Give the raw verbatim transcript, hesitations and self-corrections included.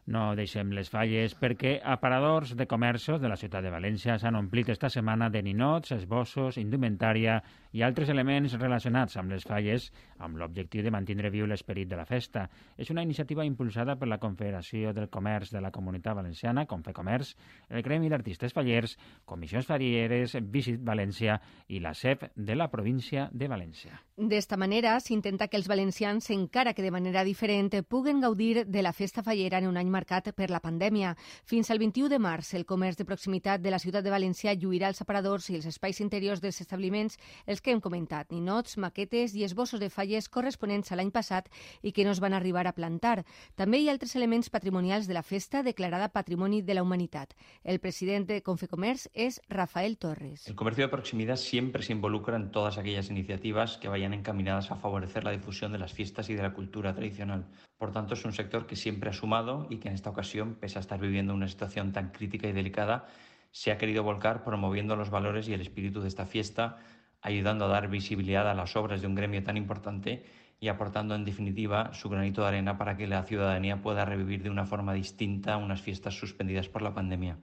No deixem les falles perquè aparadors de comerços de la ciutat de València s'han omplit esta setmana de ninots, esbossos, indumentària i altres elements relacionats amb les falles amb l'objectiu de mantenir viu l'esperit de la festa. És una iniciativa impulsada per la Confederació del Comerç de la Comunitat Valenciana, Confecomerç, el Gremi d'Artistes Fallers, Comissions Farieres, Visit València i la C E P de la província de València. D'esta manera s'intenta que els valencians, encara que de manera diferent, puguen gaudir de la festa fallera en un any marcat per la pandèmia. Fins al vint-i-u de març, el comerç de proximitat de la ciutat de València lluirà els aparadors i els espais interiors dels establiments, els que hem comentat, ninots, maquetes i esbossos de falles corresponents a l'any passat i que no es van arribar a plantar. També hi ha altres elements patrimonials de la festa declarada Patrimoni de la Humanitat. El president de Confecomerç és Rafael Torres. El comercio de proximidad siempre se involucra en todas aquellas iniciativas que vayan encaminadas a favorecer la difusión de las fiestas y de la cultura tradicional. Por tanto, es un sector que siempre ha sumado y que en esta ocasión, pese a estar viviendo una situación tan crítica y delicada, se ha querido volcar promoviendo los valores y el espíritu de esta fiesta, ayudando a dar visibilidad a las obras de un gremio tan importante y aportando, en definitiva, su granito de arena para que la ciudadanía pueda revivir de una forma distinta unas fiestas suspendidas por la pandemia.